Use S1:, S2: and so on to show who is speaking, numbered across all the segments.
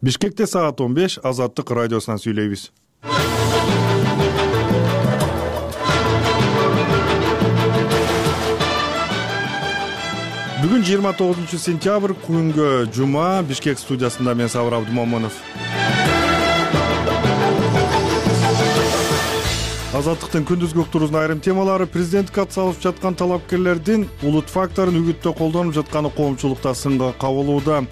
S1: Бишкекте саат 15 Азаттык радиосунан сүйлөйбүз. Бүгүн 29-сентябрь күнгө жума. Бишкек студиясында мен Сабыр Абдумомунов. Азаттыктын күндүзгү уктуруунун айрым темалары: президенттикке ат салып жаткан талапкерлердин улут факторун үгүттө колдонуп жатканы коомчулукта сынга кабылууда.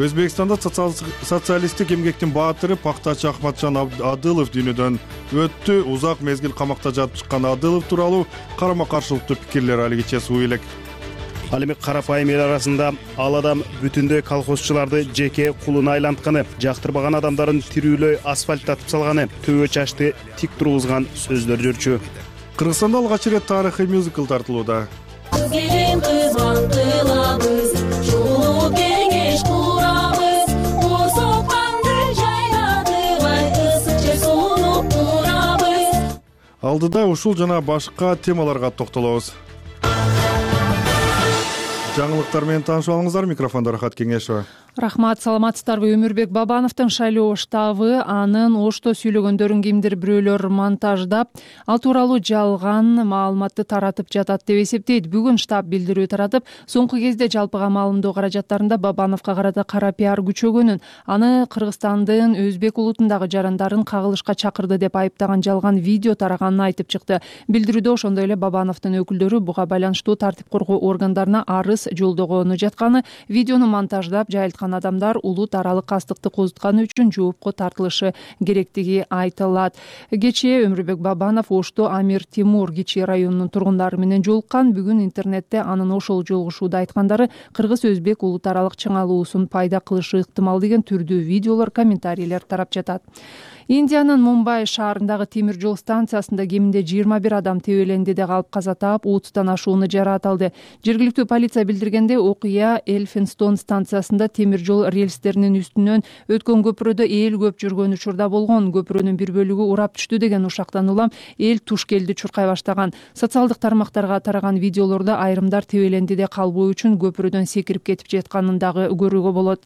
S1: Өзбекстанда социалисттик эмгектин баатыры пактачы Ахматжан Адылов дүйнөдөн өттү. Узак мезгил камакта жатып чыккан Адылов тууралуу карама-каршылыктуу пикирлер алигиче суу элек.
S2: Ал эми карапайым эл арасында ал адам бүтүндөй колхозчуларды жеке кулуна айлантканы, жактырбаган адамдарын тирүүлөй асфальттатып салганы, төбө чачты тик тургузган сөздөр жүрчү.
S1: Кыргызстанда алгач ирет тарыхый мюзикл тартылууда. Алдыда ушул жана башка темаларга токтолобуз. Жаңылыктар менен таанышып алыңыздар. Микрофондо Рахат Кеңешова.
S3: Рахмат, саламатсыздарбы? Өмүрбек Бабановдун шайлоо штабы анын ошто сүйлөгөндөрүн кимдир бирөөлөр монтаждап, ал тууралуу жалган маалыматты таратып жатат деп эсептейт. Бүгүн штаб билдирүү таратып, соңку кезде жалпыга маалымдоо каражаттарында Бабановго карата кара пиар күчөгөнүн, аны Кыргызстандын өзбек улутундагы жарандарын кагылышка чакырды деп айыптаган жалган видео тараганын айтып чыкты. Билдирүүдө ошондой эле Бабановдун өкүлдөрү буга байланыштуу тартип коргоо органдарына арыз жолдогону жатканы, видеону монтаждап жайылткан адамдар улут аралык кастыкты козутканы үчүн жоопко тартылышы керектиги айтылат. Кечээ Өмүрбек Бабанов Ошто Амир Тимур кичи районунун тургундары менен жолуккан. Бүгүн интернетте анын ошол жолугушууда айткандары кыргыз-өзбек улут аралык чыңалуусун пайда кылышы ыктымал деген түрдүү видеолор, комментарийлер тарап жатат. Индиянын Мумбай шаарындагы темир жол станциясында кеминде 21 адам тебеленди де калып каза таап, 30тан ашууну жараат алды. Жергиликтүү полиция билдиргенде, окуя Элфинстон станциясында темир жол рельстеринин үстүнөн өткөн көпүрөдө эл көп жүргөн учурда болгон. Көпүрөнүн бир бөлүгү урап түштү деген ушактан улам эл тушкелди чуркай баштаган. Социалдык тармактарга тараган видеолордо айрымдар тебеленди де калбоо үчүн көпүрөдөн секирип кетип жатканын дагы көрүүгө болот.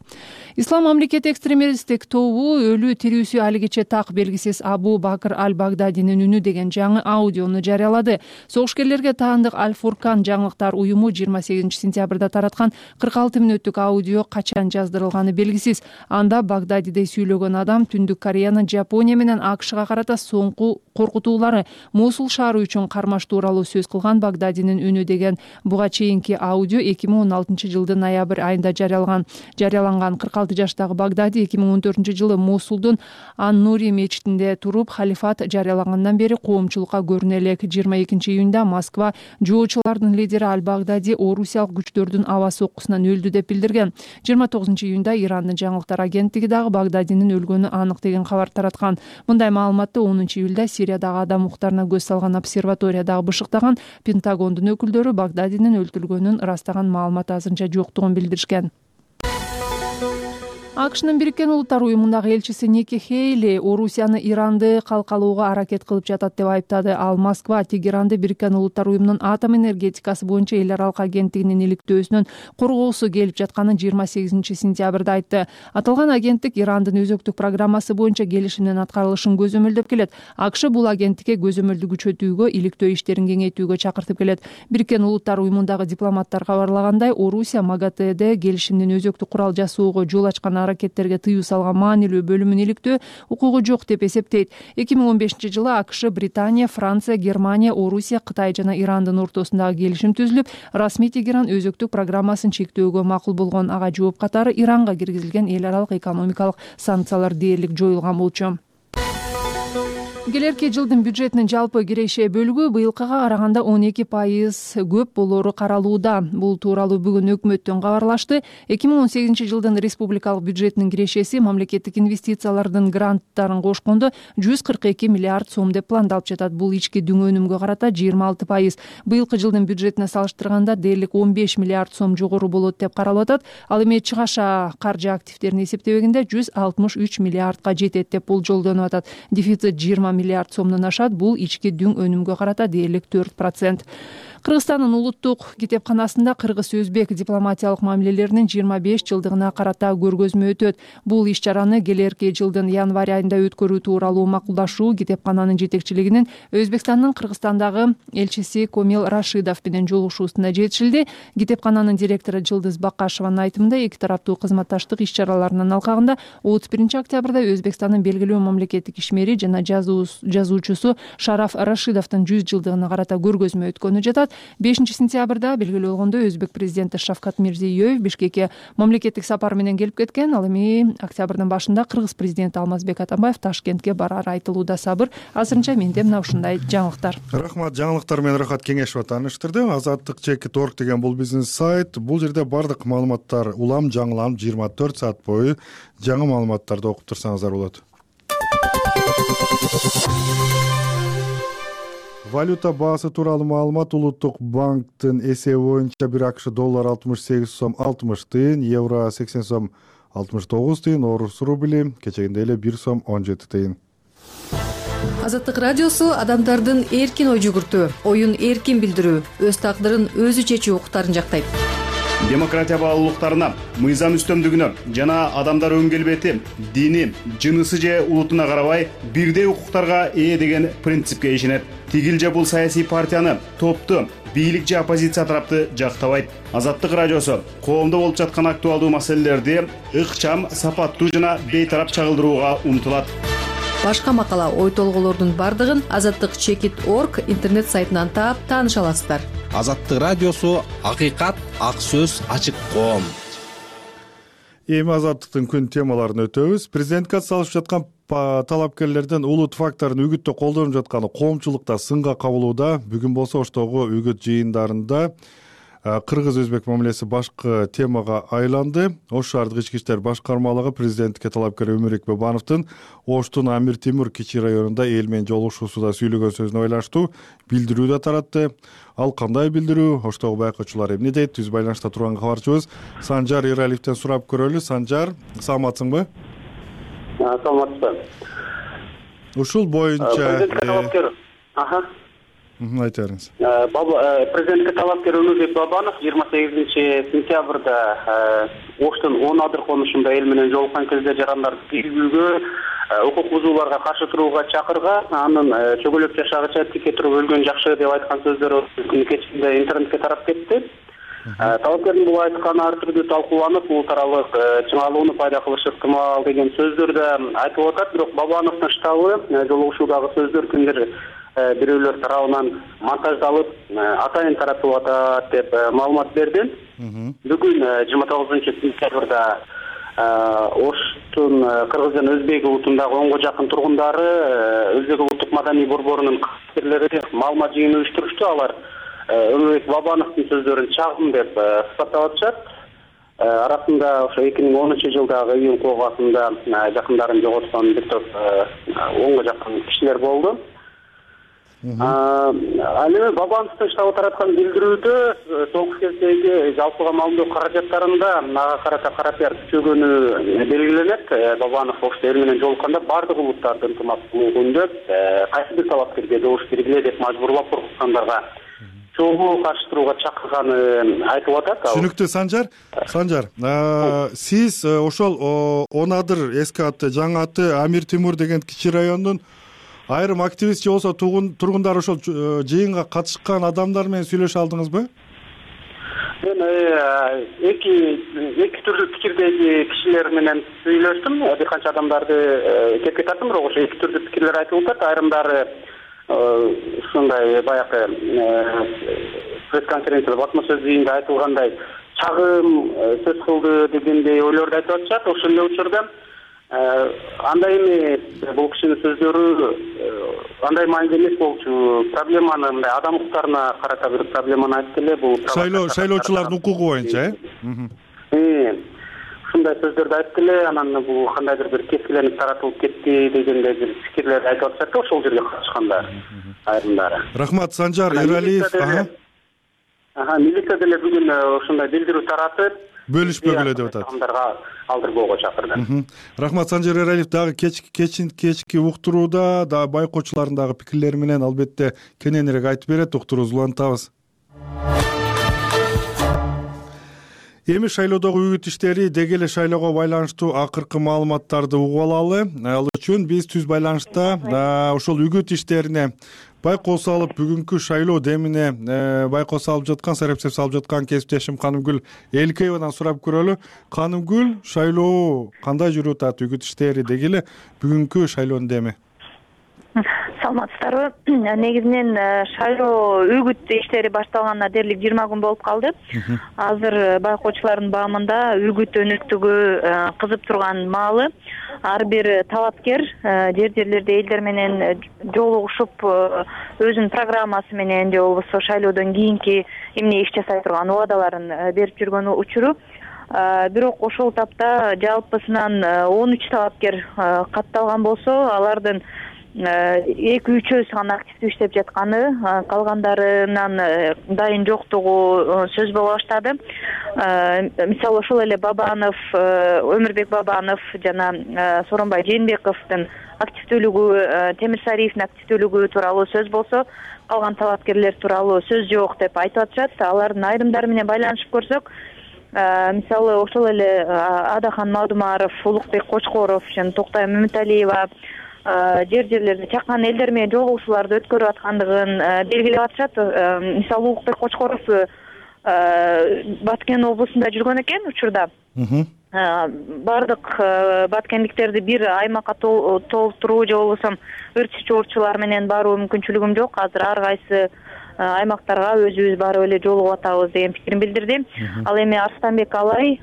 S3: Ислам мамлекети экстремисттик тобу өлүү тирүүсү алигиче так белгисиз Абу Бакр Аль-Багдадинин үнү деген жаңы аудиону жарыялады. Согушкерлерге таандык Аль-Фуркан жаңылыктар уюму 28-сентябрда тараткан 46 мүнөттүк аудио качан жаздырылганы белгисиз. Анда Багдадиде сүйлөгөн адам Түндүк Кореянын Жапония менен АКШга карата соңку коркутуулары, Мосул шаары үчүн кармаш тууралуу сөз кылган Багдадинин үнү деген буга чейинки аудио 2016 жылдын ноябрь айында жарыяланган. 46 жаштагы Багдади 2014 жылы Мосулдун Ан-Нури мечитинде туруп халифат жарыялагандан бери коомчулукка көрүнө элек. 22 июнда Москва жоочулардын лидери Аль-Багдади орусиялык күчтөрдүн аба соккусунан өлдү деп билдирген. 29 июнда Ирандын жаңылыктар агенттиги дагы Багдадинин өлгөнү анык деген кабар тараткан. Мындай маалыматты 10 июлда Сириядагы адам укуктарына көз салган обсерватория дагы бышыктаган. Пентагондун өкүлдөрү Багдадинин өлтүрүлгөнүн ырастаган маалымат азырынча жоктугун билдиришкен. АКШнын Бириккен Улуттар уюмундагы элчиси Ники Хейли Орусияны Иранды калкалоого аракет кылып жатат деп айыптады. Ал Москва Тегеранды Бириккен Улуттар уюмунун атом энергетикасы боюнча эл аралык агенттигинин иликтөөсүнөн коргоосу келип жатканын 28-сентябрда айтты. Аталган агенттик Ирандын өзөктүк программасы боюнча келишимдин аткарылышын көзөмөлдөп келет. АКШ бул агенттикке көзөмөлдү күчөтүүгө, иликтөө иштерин кеңейтүүгө чакыртып келет. Бириккен Улуттар уюмундагы дипломаттар кабарлагандай, Орусия МАГАТЭде келишимдин өзөктүк курал жасоого жол ачкан аракеттерге тыюу салган маанилүү бөлүмүн иликтөө укугу жок деп эсептейт. 2015 жылы АКШ, Британия, Франция, Германия, Орусия, Кытай жана Ирандын ортосундагы келишим түзүлүп, расмий Тегеран өзөктүк программасын чектөөгө макул болгон. Ага жооп катары Иранга киргизилген эл аралык экономикалык санкциялар дээрлик жоюлган болчу. Келерки жылдын бюджетинин жалпы киреше бөлүгү быйылкыга караганда 12% көп болору каралууда. Бул тууралуу бүгүн өкмөттөн кабарлашты. 2018 жылдын республикалык бюджетинин кирешеси мамлекеттик инвестициялардын гранттарын кошкондо 142 миллиард сом деп пландалып жатат. Бул ички дүң өнүмгө карата 26%. Быйылкы жылдын бюджетине салыштырганда дээрлик 15 миллиард сом жогору болот деп каралып атат. Ал эми чыгаша каржы активдерин эсептебегенде 163 миллиардга жетет деп болжолдонуп атат. Дефицит 20 миллиард сомдон ашат. Бул ички дүң өнүмгө карата дээрлик 4%. Кыргызстандын улуттук китепканасында кыргыз-өзбек дипломатиялык мамилелеринин 25 жылдыгына карата көргөзмө өтөт. Бул иш-чараны келерки жылдын январь айында өткөрүү тууралуу макулдашуу китепкананын жетекчилигинин Өзбекстандын Кыргызстандагы элчиси Комил Рашидов менен жолугушуусунда жетишилди. Китепкананын директору Жылдыз Бакашеванын айтымында эки тараптуу кызматташтык иш-чараларынын алкагында 31 октябрда Өзбекстандын белгилүү мамлекеттик ишмери жана жазуучусу Шараф Рашидовдун 100 жылдыгына карата көргөзмө өткөнү жатат. 5 сентябрда белгилүү болгондой Өзбек президенти Шавкат Мирзиёев Бишкекке мамлекеттик сапар менен келип кеткен. Ал эми октябрдын башында Кыргыз президенти Алмазбек Атамбаев Ташкентке барары айтылууда. Сабыр. Азырынча менде мына ушундай жаңылыктар.
S1: Рахмат. Жаңылыктар менен Рахат Кеңешова тааныштырды. Азаттык.org деген бул бизнес сайт. Бул жерде бардык маалыматтар улам жаңыланып 24 саат бою жаңы маалыматтарды окуп турсаңыздар болот. Валюта баасы тууралуу маалымат. Улуттук банктын эсеби боюнча 1 АКШ доллар 68 сом 60 тыйын, евро 80 сом 69 тыйын, орус рубли кечегиндей эле 1 сом 17 тыйын.
S4: Азаттык радиосу адамдардын эркин ой жүгүртүү, оюн эркин билдирүү, өз тагдырын өзү чечүү укуктарын жактайт.
S2: Демократия баалуулуктарына, мыйзам үстөмдүгүнө жана адамдар өн келбети, дини, жынысы же улутуна карабай бирдей укуктарга ээ деген принципке ишенет. Тигил же бул саясий партияны, топту, бийлик же оппозиция тарапты жактабайт. Азаттык радиосу коомдо болуп жаткан актуалдуу маселелерди ыкчам, сапаттуу жана бейтарап чагылдырууга умтулат.
S4: Башка макала, ой толгоолордун бардыгын azattik.org интернет сайтынан таап тааныша аласыздар.
S5: Азаттык радиосу акыйкат, ак сөз, ачык коом.
S1: Эми азаттыктын күн темаларын өтөбүз. Президентке салышып жаткан талапкерлердин улут факторун үгүттө колдонуп жатканы коомчулукта сынга кабылууда. Бүгүн болсо Оштогу үгүт жыйындарында кыргыз-өзбек мамилеси башкы темага айланды. Ош шаардык ички иштер башкармалыгы президентке талапкер Өмүрбек Бабановдун Оштун Амир Темур кичи районунда эл менен жолугушуусунда сүйлөгөн сөзүнө байланыштуу билдирүү да таратты. Ал кандай билдирүү? Оштогу байкоочулар эмне дейт? Түз байланышта турган кабарчыбыз Санжар Иралиевден сурап көрөлү. Санжар, саламатсыңбы?
S6: Саламатсызбы.
S1: Ушул боюнча айта бериңиз.
S6: Президентке талапкер Өмүрбек Бабанов 28 сентябрда Оштун 10 адыр конушунда эл менен жолуккан кезде жарандарды тийгүүгө, укук бузууларга каршы турууга чакырган, анын чөгөлөп жашагыча тике туруп өлгөн жакшы деп айткан сөздөрү күнү кечинде интернетке тарап кетти. Талапкердин бул айтканы ар түрдүү талкууланып, улут аралык чыңалууну пайда кылышы ыктымал деген сөздөр да айтылып атат. Бирок Бабановдун штабы жолугушуудагы сөздөр кимдир бирөөлөр тарабынан монтаждалып, атайын таратылып атат деп маалымат берди. Бүгүн 29 сентябрда Оштун кыргыз жана өзбек улутундагы 10го жакын тургундары өзбек улуттук маданий борборунун кызматкерлери маалымат жыйыны уюштурушту. Алар Өмүрбек Бабановдун сөздөрүн чагым деп сыпаттап атышат. Арасында ошо 2010 жылдагы июнь кылгасында жакындарын жоготкон бир топ 10го жакын кишилер болду. Ал эми Бабановдун штабы тараткан билдирүүдө соңку кездеги жалпыга маалымдоо каражаттарында ага карата карапияр күчөгөнү белгиленет. Бабанов Ошто эл менен жолукканда бардык улуттарды ынтымактуу күндөп, кайсы бир талапкерге добуш бергиле деп мажбурлап коркуткандарга чогуу каршы турууга чакырганы айтылып атат.
S1: Түшүнүктүү. Санжар, сиз ошол 10 адыр эски аты, жаңы аты Амир Темур деген кичи райондун айрым активист же болсо тургундар ошол жыйынга катышкан адамдар менен сүйлөшө алдыңызбы?
S6: Мен эки түрлүү пикирдеги кишилер менен сүйлөштүм. Бир канча адамдарды кепке тарттым, бирок ошо эки түрдүү пикирлер айтылып атат. Айрымдары ушундай баягы пресс-конференцияда басма сөз жыйында айтылгандай чагым сөз кылды дегендей ойлорду айтып атышат. Ошол эле учурда андай эмес, бул кишинин сөздөрү андай маанилүү эмес болчу. Проблеманы мындай адам укуктарына карата бир проблеманы айтып эле, бул
S1: шайлоочулардын укугу боюнча,
S6: ушундай сөздөрдү айтып эле, анан бул кандайдыр бир кескиленип таратылып кетти дегендей бир пикирлер айтып атышат да ошол жерге катышкандар айрымдары.
S1: Рахмат. Санжар Иралиев.
S6: Милиция деле бүгүн ошондой билдирүү таратып,
S1: бөлүшпөгүлө деп атат.
S6: Адамдарга алдырбоого чакырды.
S1: Рахмат. Санжар Иралиев дагы кечки уктурууда да байкоочулардын дагы пикирлери менен албетте кененирээк айтып берет. Уктуруубузду улантабыз. Эми шайлоодогу үгүт иштери деги эле шайлоого байланыштуу акыркы маалыматтарды угуп алалы. Ал үчүн биз түз байланышта ошол үгүт иштерине байкоо салып, бүгүнкү шайлоо демине байкоо салып жаткан, сарапчылык салып жаткан кесиптешим Канымгүл Эликеевадан сурап көрөлү. Канымгүл, шайлоо кандай жүрүп атат, үгүт иштери деги эле бүгүнкү шайлоонун деми?
S7: Саламатсыздарбы? Негизинен шайлоо үгүт иштери башталганына дээрлик 20 күн болуп калды. Азыр байкоочулардын баамында үгүт өнөктүгү кызып турган маалы ар бир талапкер жерлерде элдер менен жолугушуп өзүнүн программасы менен же болбосо шайлоодон кийинки эмне иш жасай турган убадаларын берип жүргөн учуру. Бирок ошол тапта жалпысынан 13 талапкер катталган болсо, алардын 2-3 гана активдүү иштеп жатканы, калгандарынан дайын жоктугу сөз боло баштады. Мисалы ошол эле Бабанов, Өмүрбек Бабанов жана Сооронбай Жээнбековдун активдүүлүгү, Темирсариевдин активдүүлүгү тууралуу сөз болсо, калган талапкерлер тууралуу сөз жок деп айтып атышат. Алардын айрымдары менен байланышып көрсөк, мисалы ошол эле Адахан Мадумаров, Улукбек Кочкоров жана Токтай Мөмүталиева жерлерде чакан элдер менен жолугушууларды өткөрүп аткандыгын белгилеп атышат. Мисалы Улукбек Кочкоров Баткен облусунда жүргөн экен учурда. Бардык баткендиктерди бир аймакка толтуруу же болбосо өрт чыгуучулар менен баруу мүмкүнчүлүгүм жок. Азыр ар кайсы аймактарга өзүбүз барып эле жолугуп атабыз деген пикирин билдирди. Ал эми Арстанбек Алай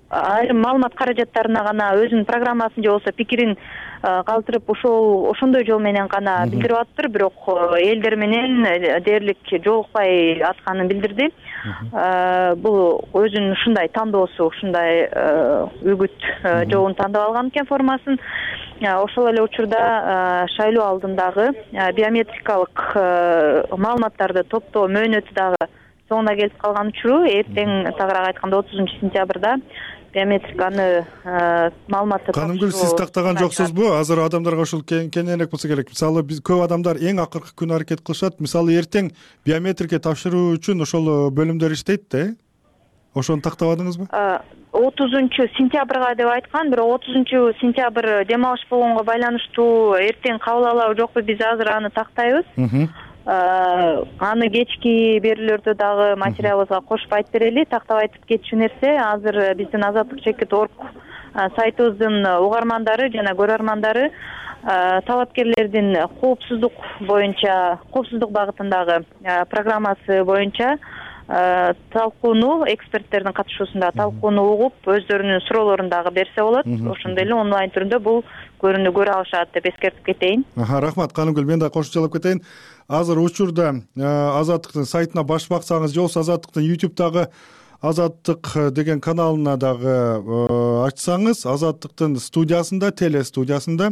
S7: айрым маалымат каражаттарына гана өзүнүн программасын же болбосо пикирин калтырып ошондой жол менен гана билдирип атыптыр, бирок элдер менен дээрлик жолукпай атканын билдирди. Бул өзүнүн ушундай тандоосу, ушундай үгүт жолун тандап алган экен, формасын. Ошол эле учурда шайлоо алдындагы биометрикалык маалыматтарды топтоо мөөнөтү дагы соңуна келип калган учуру, эртең тагыраак айтканда 30-сентябрда биометриканы маалыматты
S1: Канымгүл, сиз тактаган жоксузбу? Азыр адамдарга ушул кеңирээк болсо керек. Мисалы биз көп адамдар эң акыркы күнү аракет кылышат. Мисалы эртең биометрика тапшыруу үчүн ошол бөлүмдөр иштейт да, ошону тактабадыңызбы?
S7: 30-сентябрга деп айткан, бирок 30-сентябрь дем алыш болгонго байланыштуу эртең кабыл алабы жокпу, биз азыр аны тактайбыз. Аны кечки берүүлөрдө дагы материалыбызга кошуп айтып берели. Тактап айтып кетчү нерсе, азыр биздин azatlyk.org сайтыбыздын угармандары жана көрөрмандары талапкерлердин коопсуздук багытындагы программасы боюнча талкууну, эксперттердин катышуусунда талкууну угуп, өздөрүнүн суроолорун дагы берсе болот. Ошондой эле онлайн түрүндө бул көрүүнү көрө алышат деп эскертип кетейин.
S1: Рахмат, Канымгүл. Мен да кошумчалап кетейин. Азыр учурда Азаттыктын сайтына баш баксаңыз же болбосо Азаттыктын YouTube'дагы Азаттык деген каналына дагы ачсаңыз, Азаттыктын студиясында, телестудиясында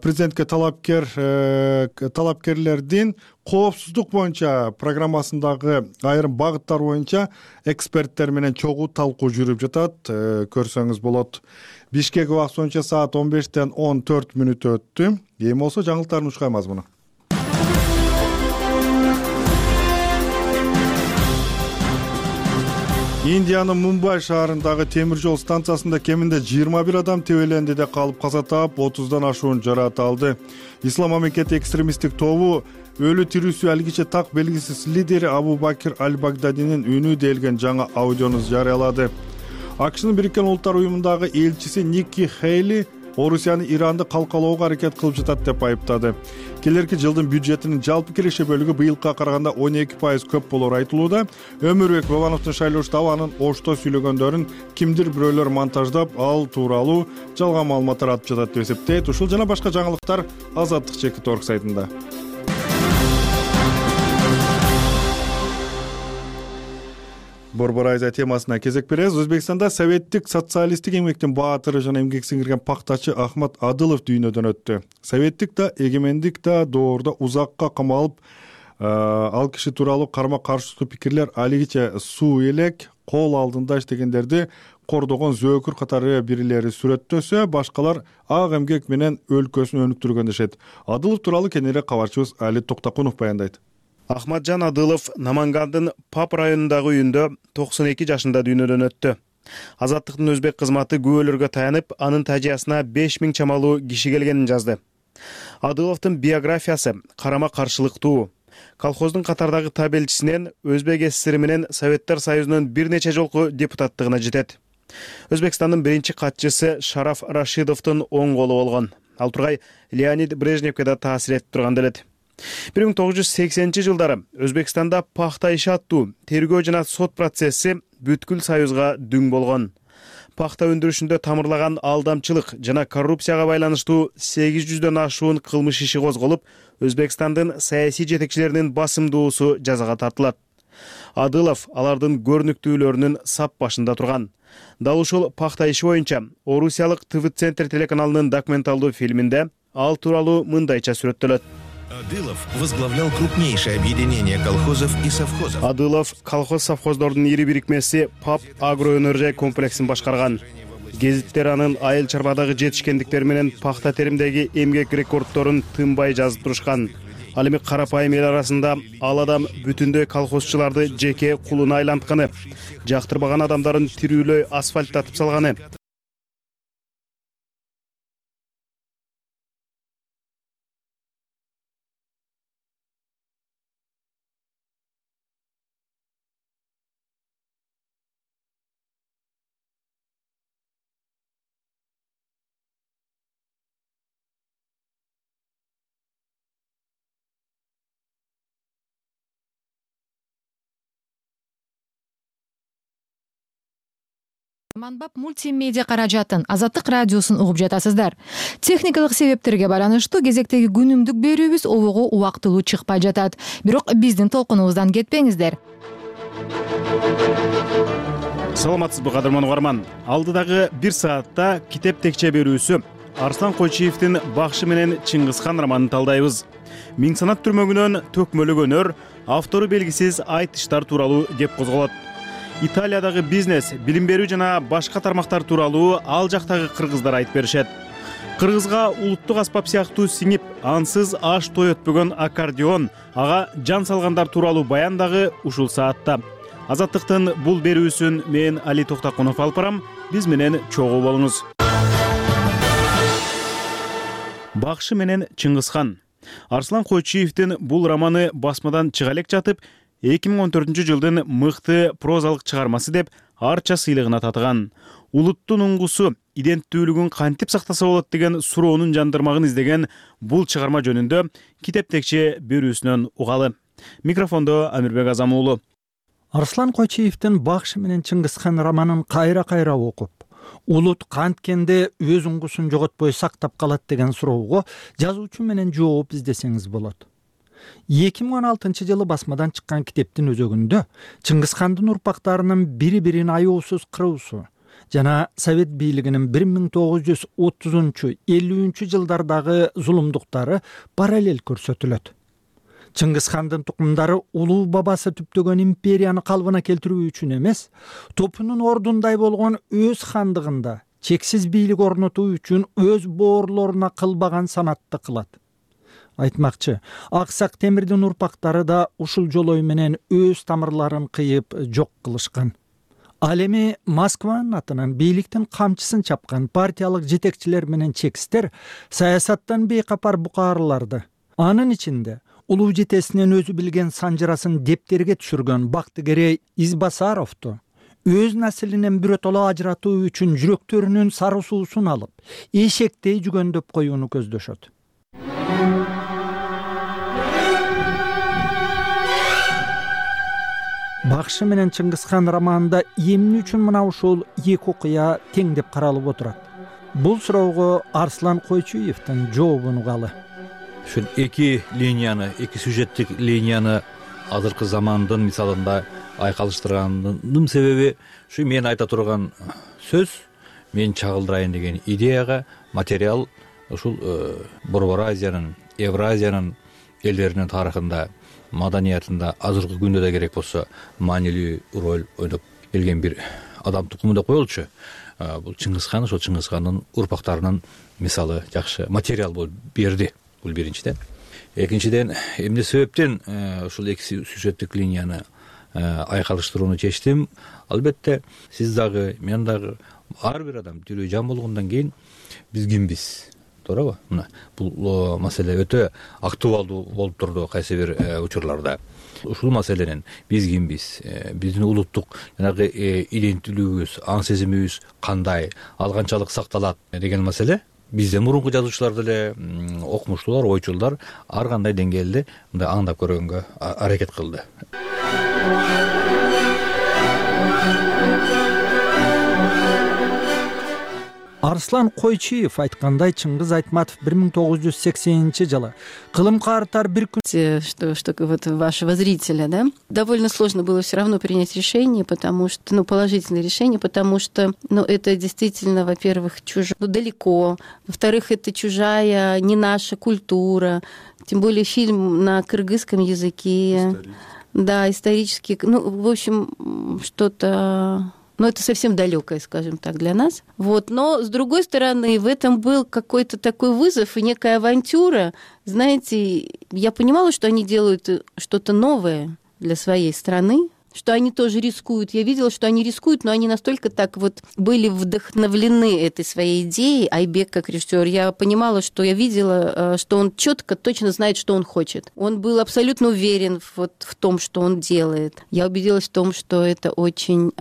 S1: президентке талапкерлердин коопсуздук боюнча программасындагы айрым багыттар боюнча эксперттер менен чогуу талкуу жүрүп жатат. Көрсөңүз болот. Бишкек убакыты боюнча саат 15-тен 14 мүнөт өттү. Эми болсо жаңылыктардын ушкай мазмуну. Индиянын Мумбай шаарындагы темир жол станциясында кеминде 21 адам тебелендиде калып каза таап, 30дан ашуун жараат алды. Ислам мамлекети экстремисттик тобу өлү тирүүсү алгиче так белгисиз лидери Абу Бакир Аль-Багдадинин үнү делген жаңа аудиону жарыялады. АКШнын Бириккен Улуттар уюмундагы элчиси Ники Хейли Орусияны Иранды калкалоого аракет кылып жатат деп айыптады. Келерки жылдын бюджетинин жалпы киреше бөлүгү быйылкыга караганда 12% көп болору айтылууда. Өмүрбек Бабановдун шайлоо штабы анын ошто сүйлөгөндөрүн кимдир бирөөлөр монтаждап, ал тууралуу жалган маалыматтар атып жатат деп эсептейт. Ушул жана башка жаңылыктар azatlyk.org сайтында. Борбор Азия темасына кезек беребиз. Өзбекстанда советтик социалисттик эмгектин баатыры жана эмгек сиңирген пактачы Ахмат Адылов дүйнөдөн өттү. Советтик да, эгемендик да доордо узакка камалып, ал киши тууралуу карма-каршылыктуу пикирлер алигиче суу элек, кол алдында иштегендерди кордогон зөөкүр катары бирлери сүрөттөсө, башкалар ак эмгек менен өлкөсүн өнүктүргөн дешет. Адылов тууралуу кененирээк кабарчыбыз Али Токтакунов баяндайт.
S2: Ахматжан Адылов Намангандын Пап районундагы үйүндө 92 жашында дүйнөдөн өттү. Азаттыктын өзбек кызматы күбөлөргө таянып, анын тажыясына 5000 чамалуу киши келгенин жазды. Адыловдун биографиясы карама каршылыктуу. Колхоздун катардагы табелчисинен Өзбек ССР менен Советтер Союзунун бир нече жолку депутаттыгына жетет. Өзбекстандын биринчи катчысы Шараф Рашидовдун оң колу болгон. Ал тургай Леонид Брежневке да таасир этип турган делет. 1980-жылдары Өзбекстанда пахта иши аттуу тергөө жана сот процесси бүткүл союзга дүң болгон. Пахта өндүрүшүндө тамырлаган алдамчылык жана коррупцияга байланыштуу 800дөн ашуун кылмыш иши козголуп, Өзбекстандын саясий жетекчилеринин басымдуусу жазага тартылат. Адылов алардын көрүнүктүүлөрүнүн сап башында турган. Дал ушул пахта иши боюнча Орусиялык ТВ-центр телеканалынын документалдуу фильминде ал тууралуу мындайча сүрөттөлөт.
S8: Адылов возглавлял крупнейшее объединение колхозов и совхозов.
S2: Адылов колхоз-совхоздордун ири бирикмеси Пап агроөнөржай комплексин башкарган. Гезиттер анын айыл чарбадагы жетишкендиктери менен пахта теримдеги эмгек рекордторун тынбай жазып турушкан. Ал эми карапайым эл арасында ал адам бүтүндөй колхозчуларды жеке кулуна айлантканы, жактырбаган адамдарын тирүүлөй асфальттатып салганы.
S9: Манбап мультимедиа каражатын Азаттык радиосун угуп жатасыздар. Техникалык себептерге байланыштуу кезектеги күнүмдүк берүүбүз обого убактылуу чыкпай жатат. Бирок биздин толкунубуздан кетпеңиздер.
S2: Саламатсызбы кадырман угарман. Алдыдагы 1 саатта китеп текче берүүсү Арслан Койчиевдин Бакшы менен Чыңгызхан романын талдайбыз. Миң санат түрмөгүнөн төкмөлөгөнөр, автору белгисиз айтыштар тууралуу кеп козголот. Италиядагы бизнес, билим берүү жана башка тармактар тууралуу ал жактагы кыргыздар айтып беришет. Кыргызга улуттук аспап сыяктуу сиңип, ансыз аш той өтпөгөн аккордеон, ага жан салгандар тууралуу баян дагы ушул саатта. Азаттыктын бул берүүсүн мен Али Токтакунов алып барам. Биз менен чогуу болуңуз. Бакшы менен Чыңгызхан. Арслан Койчиевдин бул романы басмадан чыга элек жатып, 2014-жылдын мыкты прозалык чыгармасы деп арча сыйлыгына татыган. Улуттун уңгусу, иденттүүлүгүн кантип сактаса болот деген суроонун жандырмагын издеген бул чыгарма жөнүндө китеп текче берүүсүнөн угалы. Микрофондо Амирбек Азам уулу.
S10: Арслан Койчиевдин Бакшы менен Чыңгызхан романын кайра окуп, улут канткенде өз уңгусун жоготпой сактап калат деген суроого жазуучу менен жооп издесеңиз болот. 2016-жылы басмадан чыккан китептин өзөгүндө Чыңгызхандын урпактарынын бири-бирин аяосуз кыруусу жана Совет бийлигинин 1930-50 жылдардагы зулумдуктары параллель көрсөтүлөт. Чыңгызхандын тукумдары улуу бабасы түптөгөн империяны калыбына келтирүү үчүн эмес, топунун ордундай болгон өз хандыгында чексиз бийлик орнотуу үчүн өз боорлоруна кылбаган санатты кылат. Айтмакчы, Аксак Темирдин урпактары да ушул жолой менен өз тамырларын кыйып жок кылышкан. Ал эми Москванын атынан бийликтин камчысын чапкан партиялык жетекчилер менен чекистер саясаттан бейкапар букаарларды, анын ичинде улуу жетесинен өзү билген санжырасын дептерге түшүргөн Бактыгерей Избасаровду өз наслинен биротоло ажыратуу үчүн жүрөктөрүнүн сары суусун алып, эшектей жүгөндөп коюуну көздөшөт. Бакшы менен Чыңгызхан романында эмне үчүн мына ушул эки окуя тең деп каралып отурат? Бул суроого Арслан Койчиевдин жообун угалы.
S5: Ушул эки линияны, эки сюжеттик линияны азыркы замандын мисалында айкалыштырганымдын себеби ушу мен айта турган сөз, мен чагылдырайын деген идеяга материал ушул Борбор Азиянын, Евразиянын элдеринин тарыхында, маданиятында азыркы күндө да керек болсо маанилүү роль ойноп келген бир адам тукуму деп коелучу. Бул Чыңгызхан, ошол Чыңгызхандын урпактарынын мисалы жакшы материал болуп берди. Бул биринчиден. экинчиден эмне себептен ушул эки сюжеттик линияны айкалыштырууну чечтим? Албетте сиз дагы, мен дагы, ар бир адам тирүү жан болгондон кийин биз кимбиз, туурабы? Мына бул маселе өтө актуалдуу болуп турду кайсы бир учурларда. Ушул маселенин биз кимбиз, биздин улуттук жанагы иденттүүлүгүбүз, аң сезимибиз кандай, ал канчалык сакталат деген маселе бизден мурунку жазуучулар деле, окумуштуулар, ойчулдар ар кандай деңгээлде мындай аңдап көргөнгө аракет кылды.
S10: Арслан Койчиев айткандай, Чыңгыз Айтматов 1980-жылы кылым каартар бир күн.
S11: Что вот вашего зрителя, да? Довольно сложно было все равно принять решение, потому что, положительное решение, потому что, это действительно, во-первых, далеко, во-вторых, это чужая, не наша культура, тем более фильм на кыргызском языке. Да, исторический, в общем, что-то... это совсем далекое, скажем так, для нас. Но, с другой стороны, в этом был какой-то такой вызов и некая авантюра. Знаете, я понимала, что они делают что-то новое для своей страны, что они тоже рискуют. Я видела, что они рискуют, но они настолько так были вдохновлены этой своей идеей. Айбек как режиссер, я понимала, что я видела, что он четко, точно знает, что он хочет. Он был абсолютно уверен в том, что он делает. Я убедилась в том, что это очень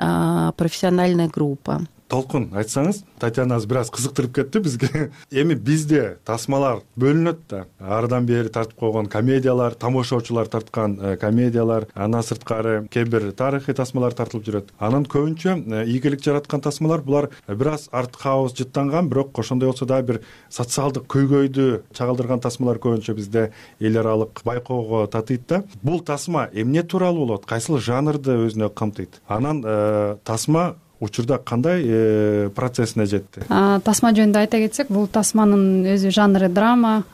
S11: профессиональная группа.
S1: Толкун, айтсаңыз, Татьянаңыз бир аз кызыктырып кетти бизге. Эми бизде тасмалар бөлүнөт да. Ардан бери тартып койгон комедиялар, тамошочулар тарткан комедиялар, андан сырткары кээ бир тарыхый тасмалар тартылып жүрөт. Анын көбүнчө ийгилик жараткан тасмалар булар бир аз арт-хаус жыттанган, бирок ошондой болсо да бир социалдык көйгөйдү чагылдырган тасмалар көбүнчө бизде эл аралык байкоого татыйт да. Бул тасма эмне тууралуу болот? Кайсыл жанрды өзүнө камтыйт? Анан тасма учурда кандай процессине жетти?
S12: Тасма жөнүндө айта кетсек, бул тасманын өзү жанры драма.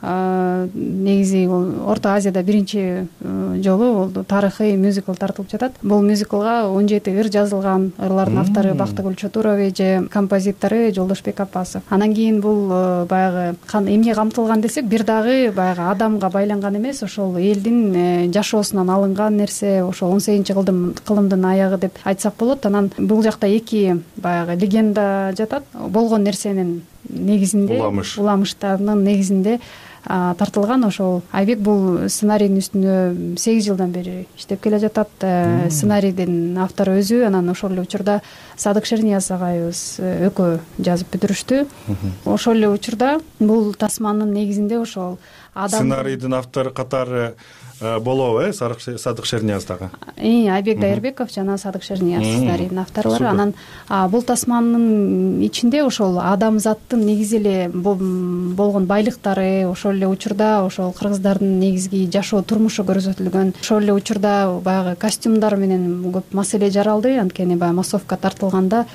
S12: Негизи Орто Азияда биринчи жолу болду. Тарыхый мюзикл тартылып жатат. Бул мюзиклга 17 ыр жазылган. Ырлардын автору Бактыгүл Чотурове же композитору Жолдошбек Апасов. Анан кийин бул баягы эмне камтылган десек, бир дагы баягы адамга байланган эмес, ошол элдин жашоосунан алынган нерсе, ошол 18-кылымдын аягы деп айтсак болот. Анан бул жакта баягы легенда жатат. Болгон нерсенин негизинде, уламыштарынын негизинде тартылган. Ошол Айбек бул сценарийдин үстүнө 8 жылдан бери иштеп келе жатат. Сценарийдин автору өзү, анан ошол эле учурда Садык Шернияз агайыбыз экөө жазып бүтүрүштү. Ошол эле учурда бул тасманын негизинде ошол
S1: сценарийдин автору катары болобу, Садык Шернияз дагы?
S12: Айбек Дайырбеков жана Садык Шернияз сценарийдин авторлору. Анан бул тасманын ичинде ошол адамзаттын негизи эле болгон байлыктары, ошол эле учурда ошол кыргыздардын негизги жашоо турмушу көрсөтүлгөн. Ошол эле учурда баягы костюмдар менен көп маселе жаралды. Анткени баягы массовка тартылганда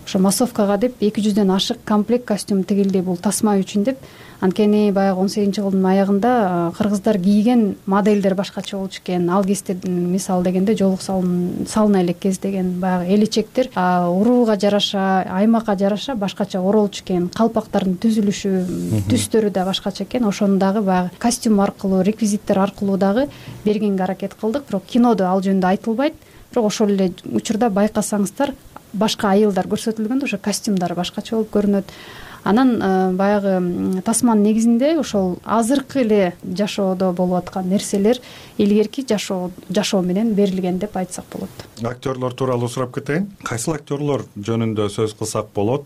S12: ошо массовкага деп 200дөн ашык комплект костюм тигилди бул тасма үчүн деп. Анткени баягы 18-кылымдын аягында кыргыздар кийген моделдер башкача болчу экен. Ал кезде мисал дегенде жолук салына элек кез деген баягы элечектер урууга жараша, аймакка жараша башкача оролчу экен. Калпактардын түзүлүшү, түстөрү да башкача экен. Ошону дагы баягы костюм аркылуу, реквизиттер аркылуу дагы бергенге аракет кылдык. Бирок кинодо ал жөнүндө айтылбайт. Бирок ошол эле учурда байкасаңыздар башка айылдар көрсөтүлгөндө ошо костюмдар башкача болуп көрүнөт. Анан баягы тасманын негизинде ошол азыркы эле жашоодо болуп аткан нерселер илгерки жашоо менен берилген деп айтсак болот.
S1: Актерлор тууралуу сурап кетейин. Кайсыл актерлор жөнүндө сөз кылсак болот?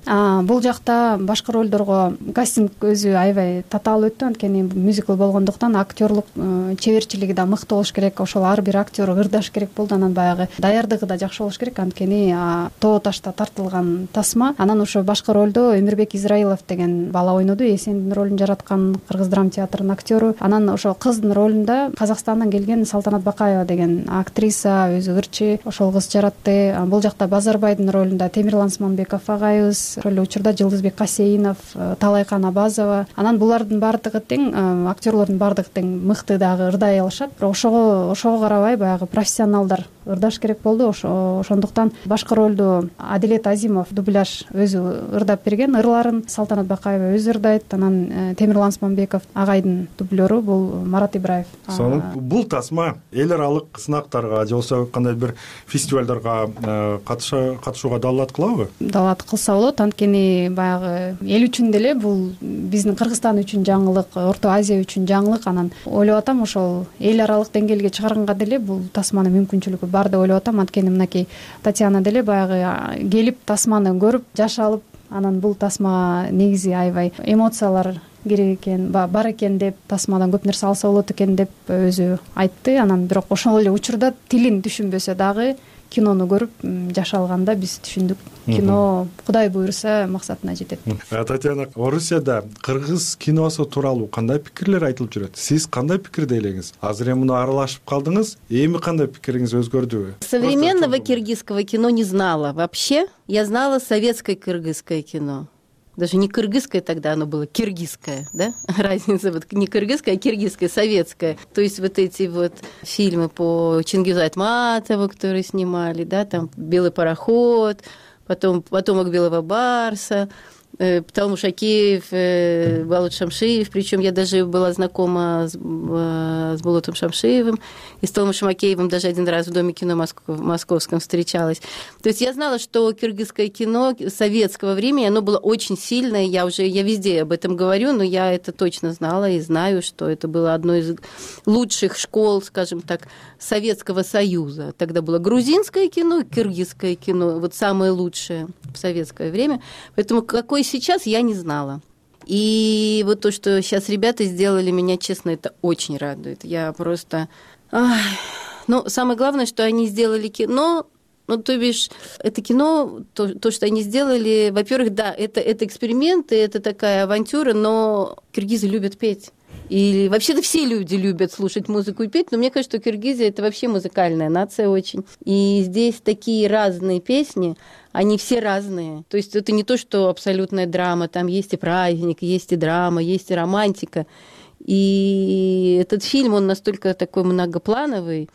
S12: Бул жакта башкы ролдорго кастинг өзү аябай татаал өттү. Анткени мюзикл болгондуктан актерлук чеберчилиги да мыкты болуш керек. Ошол ар бир актер ырдаш керек болду. Анан баягы даярдыгы да жакшы болуш керек. Анткени Тоо ташта тартылган тасма. Анан ошо башкы ролдо Өмүрбек Израилов деген бала ойноду. Эсендин ролун жараткан Кыргыз драма театрынын актеру. Анан ошол кыздын ролунда Казакстандан келген Салтанат Бакаева деген актриса, өзү ырчы, ошол кыз жаратты. Бул жакта Базарбайдын ролунда Темирлан Сманбеков агайыбыз, ошол эле учурда Жылдызбек Касейинов, Талайкан Абазова. Анан булардын баардыгы тең, актерлордун баардыгы тең мыкты дагы ырдай алышат. Бирок ошого карабай баягы профессионалдар ырдаш керек болду. Ошондуктан башкы ролду Адилет Азимов дубляж өзү ырдап берген. Ырларын Салтанат Бакаева өзү ырдайт, анан Темирлан Осмонбеков агайдын дублеру, бул Марат Ибраев.
S1: Сонун бул тасма эл аралык сынактарга же болбосо кандай бир фестивалдарга катышууга далаат кылабы?
S12: Далаат кылса болот, анткени баягы эл үчүн деле бул биздин Кыргызстан үчүн жаңылык, Орто Азия үчүн жаңылык. Анан ойлоп атам ошол эл аралык деңгээлге чыгарганга деле бул тасманын мүмкүнчүлүгү бар деп ойлоп атам. Анткени мынакей Татьяна деле баягы келип тасманы көрүп жашалып, анан бул тасмага негизи аябай эмоциялар керек экен, бар экен деп, тасмадан көп нерсе алса болот экен деп өзү айтты. Анан бирок ошол эле учурда тилин түшүнбөсө дагы кинону көрүп жашалганда биз түшүндүк, кино Кудай буйруса максатына жетет.
S1: Татьяна, Орусияда кыргыз киносу тууралуу кандай пикирлер айтылып жүрөт? Сиз кандай пикирде элеңиз? Азыр эми муну аралашып калдыңыз, эми кандай пикириңиз өзгөрдүбү?
S11: Современного кыргызского кино не знала вообще. Я знала советское кыргызское кино. Даже не кыргызское тогда, оно было киргизское, да? Разница, вот не кыргызское, а киргизское, советское. То есть вот эти вот фильмы по Чингизу Айтматову, которые снимали, да, там «Белый пароход», потом «Потомок белого барса», Талмуш Акеев, Балут Шамшиев, причем я даже была знакома с Булутом Шамшиевым и с Талмушем Акеевым даже один раз в Доме кино московском встречалась. То есть я знала, что кыргызское кино советского времени, оно было очень сильное, я везде об этом говорю, но я это точно знала и знаю, что это было одной из лучших школ, скажем так, Советского Союза. Тогда было грузинское кино, кыргызское кино, вот самое лучшее в советское время. Поэтому какой сейчас, я не знала. И вот то, что сейчас ребята сделали, меня, честно, это очень радует. Я просто... Ну, самое главное, что они сделали кино, ну, то бишь, это кино, то, что они сделали, во-первых, да, это эксперименты, это такая авантюра, но киргизы любят петь. И вообще-то все люди любят слушать музыку и петь, но мне кажется, что Киргизия – это вообще музыкальная нация очень. И здесь такие разные песни, они все разные. То есть это не то, что абсолютная драма, там есть и праздник, есть и драма, есть и романтика. И этот фильм, он настолько такой многоплановый.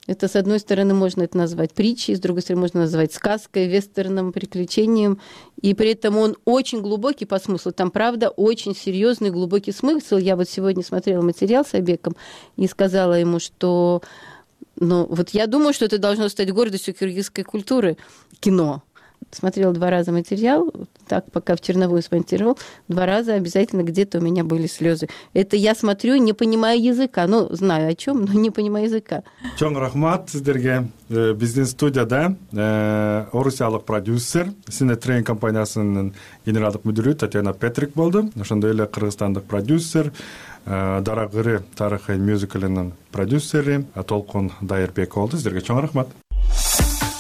S11: Это, с одной стороны, можно это назвать притчей, с другой стороны, можно назвать сказкой, вестерном, приключением. И при этом он очень глубокий по смыслу. Там, правда, очень серьезный глубокий смысл. Я вот сегодня смотрела материал с Айбеком и сказала ему, что вот я думаю, что это должно стать гордостью кыргызской культуры – кино. Смотрела 2 раза материал, так, пока в черновую смонтировал, 2 раза обязательно где-то у меня были слезы. Это я смотрю, не понимая языка. Ну, знаю о чем, но не понимаю языка.
S1: Чоң рахмат сиздерге. Биздин студияда орусиялык продюсер, Синетрейн компаниясынын генералдык мүдүрү Татьяна Петрик болду. Ошондой эле кыргызстандык продюсер, Дарагыры тарыхый мюзиклинин продюсери Толкун Дайырбек болду. Сиздерге чоң рахмат.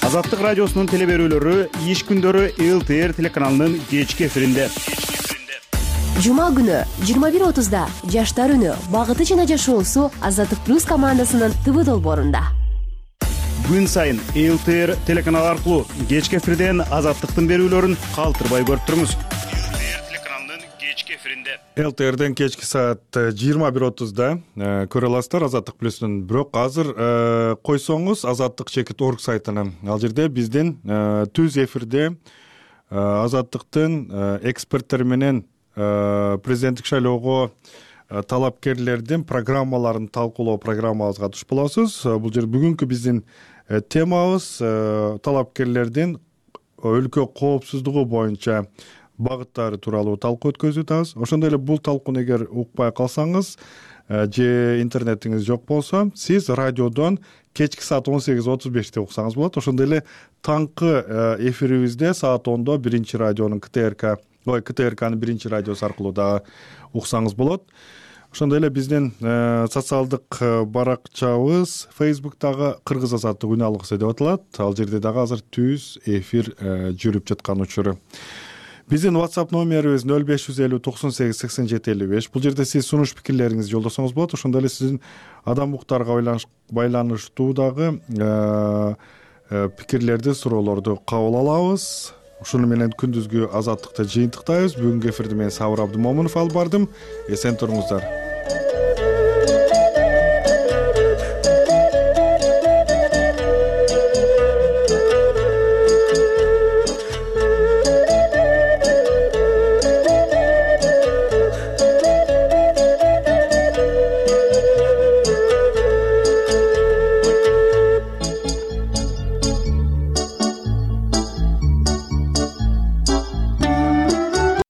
S2: Азаттык радиосунун телеберүүлөрү иш күндөрү ЛТР телеканалынын кечки эфиринде.
S13: Жума күнү 21:30да Жаштар үнү багыты жана жашоосу Азаттык плюс командасынын ТВ долбоорунда.
S2: Күн сайын ЛТР телеканалы аркылуу кечки эфирден Азаттыктын берүүлөрүн калтырбай көрүп туруңуз.
S1: ЛТРден кечки саат 21:30да көрө аласыздар Азаттык плюстун. Бирок азыр койсоңуз azattik.org сайтына, ал жерде биздин түз эфирде Азаттыктын эксперттери менен президенттик шайлоого талапкерлердин программаларын талкуулоо программабызга туш болосуз. Бул жер бүгүнкү биздин темабыз талапкерлердин өлкө коопсуздугу боюнча багыттары тууралуу талкуу өткөзүп атабыз. Ошондой эле бул талкууну эгер укпай калсаңыз же интернетиңиз жок болсо, сиз радиодон кечки саат 18:35 уксаңыз болот. Ошондой эле таңкы эфирибизде саат 10:00 биринчи радионун КТРКнын биринчи радиосу аркылуу дагы уксаңыз болот. Ошондой эле биздин социалдык баракчабыз Facebook'тагы Кыргыз азаттык үн алгысы деп аталат. Ал жерде дагы азыр түз эфир жүрүп жаткан учуру. Биздин WhatsApp номерибиз 0550 98 87 55. Бул жерде сиз сунуш пикирлериңизди жолдосоңуз болот. Ошондой эле сиздин адам укуктарга байланыштуу дагы пикирлерди, суроолорду кабыл алабыз. Ушуну менен күндүзгү азаттыкты жыйынтыктайбыз. Бүгүнкү эфирди мен Сабыр Абдымомунов алып бардым. Эсен туруңуздар.